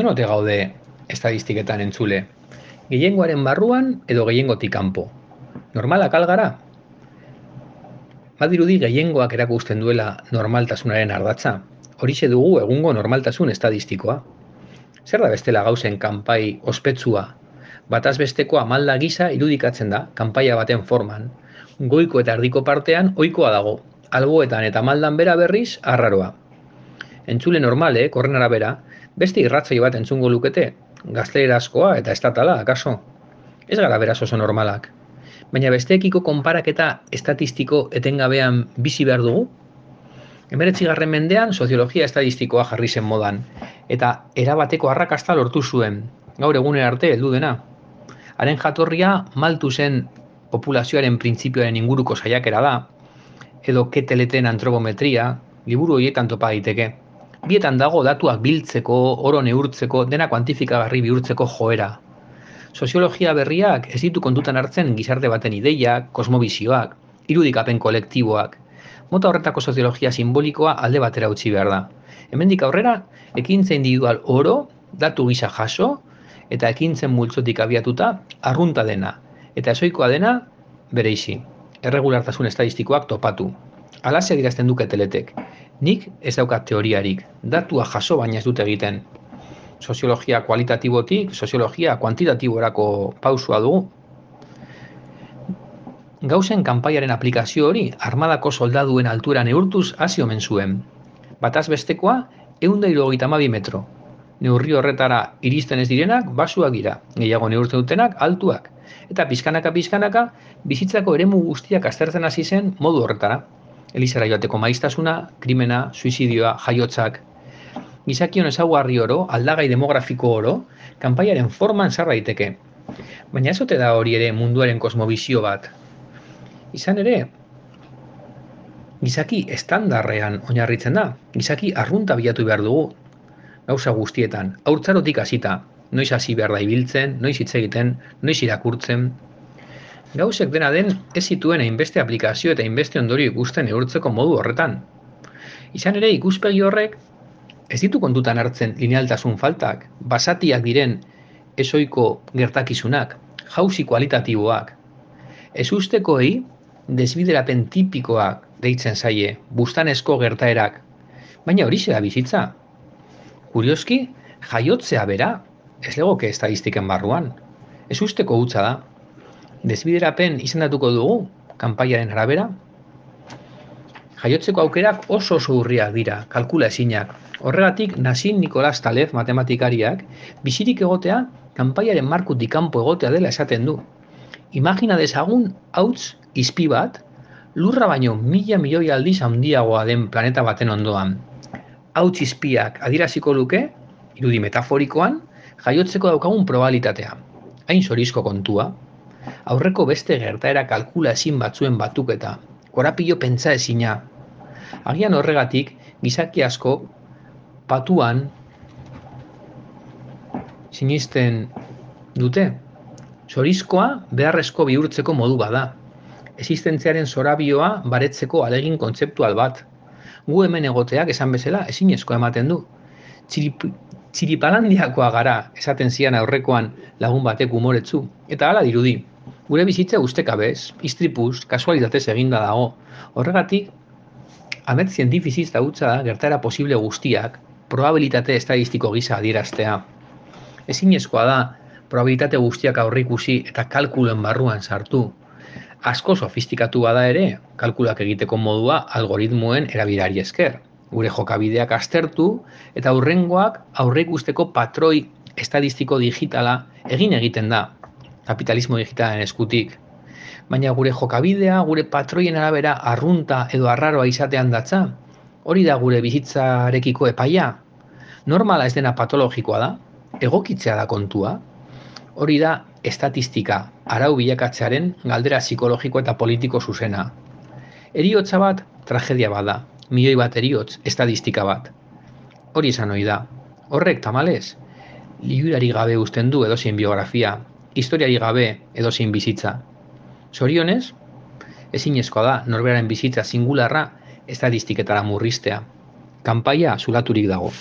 Non ote gaude estadistiketan entzule? Gehiengoaren barruan edo gehiengotik kanpo? Normalak al gara? Badirudi gehiengoak erakusten duela normaltasunaren ardatza. Horixe dugu egungo normaltasun estadistikoa. Zer da bestela gauzen kanpai ospetsua? Bataz besteko amalda gisa irudikatzen da kanpaia baten forman. Goiko eta erdiko partean ohikoa dago. Alboetan eta maldan bera berriz arraroa. Entzule normalek, horren arabera, beste irratsaio bat entzungo lukete, gaztelerazkoa eta estatala, akaso? Ez gara beraz oso normalak. Baina besteekiko konparaketa estatistiko etengabean bizi behar dugu? 19. mendean soziologia estadistikoa jarri zen modan, eta erabateko arrakasta lortu zuen, gaur egunera arte heldu dena. Haren jatorria Malthusen populazioaren printzipioaren inguruko saiakera da, edo keteleten antropometria, liburu horietan topa daiteke. Bietan dago datuak biltzeko, oro neurtzeko, dena kuantifikagarri bihurtzeko joera. Soziologia berriak ez ditu kontutan hartzen gizarte baten ideiak, kosmobizioak, irudikapen kolektiboak. Mota horretako soziologia simbolikoa alde batera utzi behar da. Hemendik aurrera, ekintza individual oro, datu gisa jaso, eta ekintzen multzotik abiatuta, arrunta dena, eta ezoikoa dena, bereizi. Erregulartasun estadistikoak topatu. Alaxe adierazten duke teletek. Nik ez daukat teoriarik, datua jaso baina ez dut egiten. Soziologia kualitatibotik, soziologia kuantitatiborako pausua dugu. Gauzen kanpaiaren aplikazio hori armadako soldaduen altura neurtuz hasi omen zuen. Bataz bestekoa 172 metro. Neurri horretara iristen ez direnak basuak dira, gehiago neurtzen dutenak altuak. Eta pizkanaka bizitzako eremu guztiak aztertzen hasi zen modu horretara. Elizara joateko maiztasuna, krimena, suizidioa, jaiotzak. Gizakion ezaugarri oro, aldagai demografiko oro, kanpaiaren forman sar daiteke. Baina ez ote da hori ere munduaren kosmobizio bat. Izan ere, gizaki estandarrean oinarritzen da, gizaki arrunta bilatu behar dugu, gauza guztietan, haurtzarotik hasita, noiz hasi behar da ibiltzen, noiz hitz egiten, noiz irakurtzen. Gauzek dena den ez zituen hainbeste aplikazio eta hainbeste ondorio ikusten neurtzeko modu horretan. Izan ere ikuspegi horrek ez ditu kontutan hartzen linealtasun faltak, basatiak diren ezoiko gertakizunak, jauzi kualitatiboak. Ezustekoei desbiderapen tipikoak deitzen zaie, bustanezko gertaerak, baina horixe da bizitza. Kurioski, jaiotzea bera, ez legoke estadistiken barruan. Ezusteko hutsa da. Desbiderapen izendatuko dugu, kanpaiaren arabera. Jaiotzeko aukerak oso urriak dira, kalkula ezinak. Horregatik, Nassim Nicholas Taleb matematikariak, bizirik egotea, kanpaiaren markutik kanpo egotea dela esaten du. Imagina dezagun hauts izpi bat, lurra baino 1000 milioi aldiz handiagoa den planeta baten ondoan. Hauts izpiak adieraziko luke, irudi metaforikoan, jaiotzeko daukagun probabilitatea. Hain zorizko kontua. Aurreko beste gertaera kalkula ezin batzuen batuketa, korapilo pentsa ezina. Agian horregatik, gizaki asko patuan sinisten dute. Zorizkoa beharrezko bihurtzeko modu bada. Existentziaren zorabioa baretzeko alegin kontzeptual bat. Gu hemen egoteak esan bezala ezinezkoa ematen du. Txiripalandiakoa gara, esaten zian aurrekoan lagun batek umoretsu, eta hala dirudi. Gure bizitza ustekabez, istripuz, kasualitatez eginda dago. Horregatik, amets zientifiziz da hutsa da gertaera posible guztiak, probabilitate estadistiko gisa adieraztea. Ezinezkoa da, probabilitate guztiak aurreikusi eta kalkulen barruan sartu. Asko sofistikatu bada ere, kalkulak egiteko modua algoritmoen erabilari esker. Gure jokabideak aztertu eta hurrengoak aurreikusteko patroi estadistiko digitala egiten da, kapitalismo digitalen eskutik. Baina gure jokabidea, gure patroien arabera arrunta edo arraroa izatean datza, hori da gure bizitzarekiko epaia. Normala ez dena patologikoa da, egokitzea da kontua. Hori da estatistika, arau bilakatzearen galdera psikologiko eta politiko zuzena. Heriotza bat, tragedia bada, milioi bat heriotz, estadistika bat. Hori esan ohi da. Horrek tamalez, liburari gabe uzten du edozein biografia, historiari gabe edozein bizitza. Zorionez, ezinezkoa da norberaren bizitza singularra estatistiketara murriztea. Kanpaia zulaturik dago.